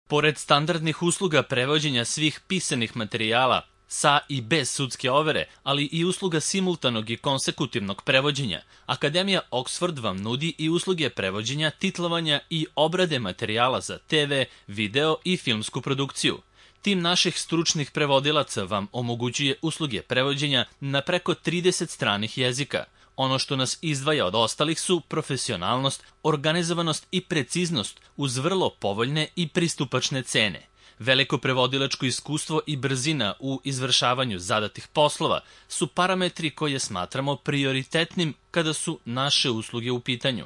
Pored standardnih usluga prevođenja svih pisanih materijala sa i bez sudske overe, ali i usluga simultanog i konsekutivnog prevođenja, Akademija Oxford vam nudi i usluge prevođenja, titlovanja i obrade materijala za TV, video i filmsku produkciju. Tim naših stručnih prevodilaca vam omogućuje usluge prevođenja na preko 30 stranih jezika. Ono što nas izdvaja od ostalih su profesionalnost, organizovanost i preciznost uz vrlo povoljne i pristupačne cene. Veliko prevodilačko iskustvo i brzina u izvršavanju zadatih poslova su parametri koje smatramo prioritetnim kada su naše usluge u pitanju.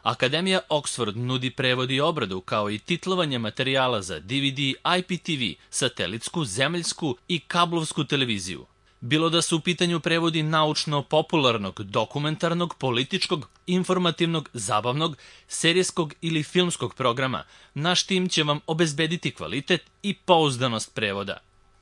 Akademija Oxford nudi prevod i obradu kao i titlovanje materijala za DVD, IPTV, satelitsku, zemaljsku i kablovsku televiziju. Bilo da su u pitanju prevodi naučno-popularnog, dokumentarnog, političkog, informativnog, zabavnog, serijskog ili filmskog programa, naš tim će vam obezbediti kvalitet i pouzdanost prevoda.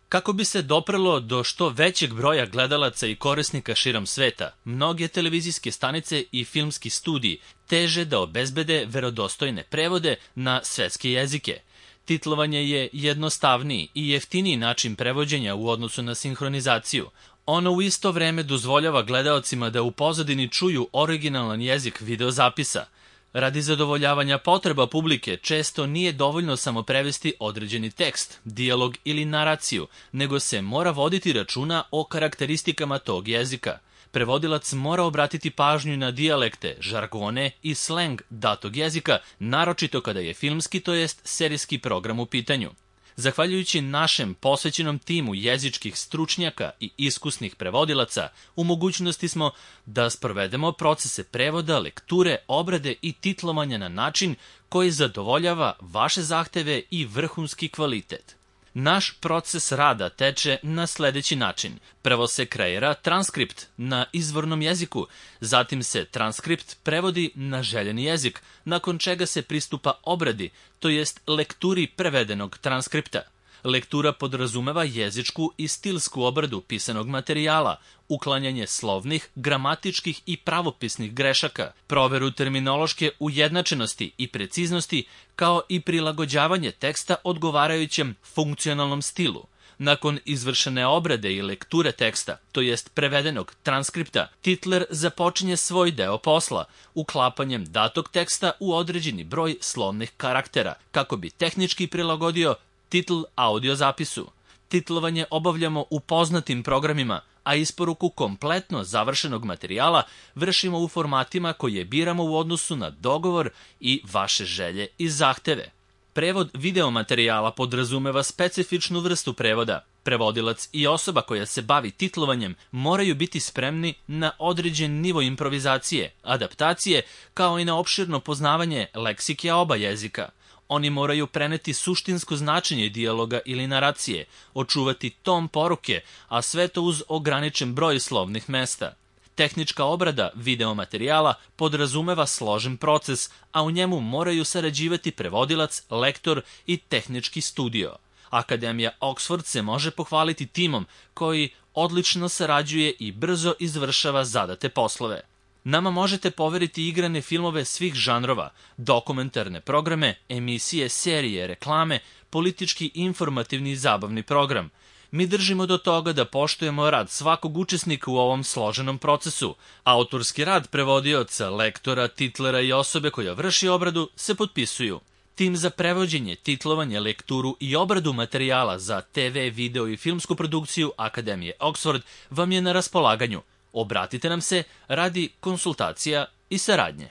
Kako bi se doprelo do što većeg broja gledalaca i korisnika širom sveta, mnoge televizijske stanice i filmski studiji teže da obezbede verodostojne prevode na svetske jezike. Titlovanje je jednostavniji i jeftiniji način prevođenja u odnosu na sinhronizaciju. Ono u isto vreme dozvoljava gledaocima da u pozadini čuju originalan jezik videozapisa. Radi zadovoljavanja potreba publike često nije dovoljno samo prevesti određeni tekst, dijalog ili naraciju, nego se mora voditi računa o karakteristikama tog jezika. Prevodilac mora obratiti pažnju na dijalekte, žargone i sleng datog jezika, naročito kada je filmski, to jest serijski program u pitanju. Zahvaljujući našem posvećenom timu jezičkih stručnjaka i iskusnih prevodilaca, u mogućnosti smo da sprovedemo procese prevoda, lekture, obrade i titlovanja na način koji zadovoljava vaše zahteve i vrhunski kvalitet. Naš proces rada teče na sledeći način. Prvo se kreira transkript na izvornom jeziku, zatim se transkript prevodi na željeni jezik, nakon čega se pristupa obradi, to jest lekturi prevedenog transkripta. Lektura podrazumeva jezičku i stilsku obradu pisanog materijala, uklanjanje slovnih, gramatičkih i pravopisnih grešaka, proveru terminološke ujednačenosti i preciznosti, kao i prilagođavanje teksta odgovarajućem funkcionalnom stilu. Nakon izvršene obrade i lekture teksta, to jest prevedenog transkripta, titler započinje svoj deo posla, uklapanjem datog teksta u određeni broj slovnih karaktera, kako bi tehnički prilagodio titl audio zapisu. Titlovanje obavljamo u poznatim programima, a isporuku kompletno završenog materijala vršimo u formatima koje biramo u odnosu na dogovor i vaše želje i zahteve. Prevod videomaterijala podrazumeva specifičnu vrstu prevoda. Prevodilac i osoba koja se bavi titlovanjem moraju biti spremni na određen nivo improvizacije, adaptacije, kao i na opširno poznavanje leksike oba jezika. Oni moraju preneti suštinsko značenje dijaloga ili naracije, očuvati ton poruke, a sve to uz ograničen broj slovnih mesta. Tehnička obrada videomaterijala podrazumeva složen proces, a u njemu moraju sarađivati prevodilac, lektor i tehnički studio. Akademija Oxford se može pohvaliti timom koji odlično sarađuje i brzo izvršava zadate poslove. Nama možete poveriti igrane filmove svih žanrova, dokumentarne programe, emisije, serije, reklame, politički, informativni i zabavni program. Mi držimo do toga da poštujemo rad svakog učesnika u ovom složenom procesu. Autorski rad prevodioca, lektora, titlera i osobe koja vrši obradu se potpisuju. Tim za prevođenje, titlovanje, lekturu i obradu materijala za TV, video i filmsku produkciju Akademije Oxford vam je na raspolaganju. Obratite nam se radi konsultacija i saradnje.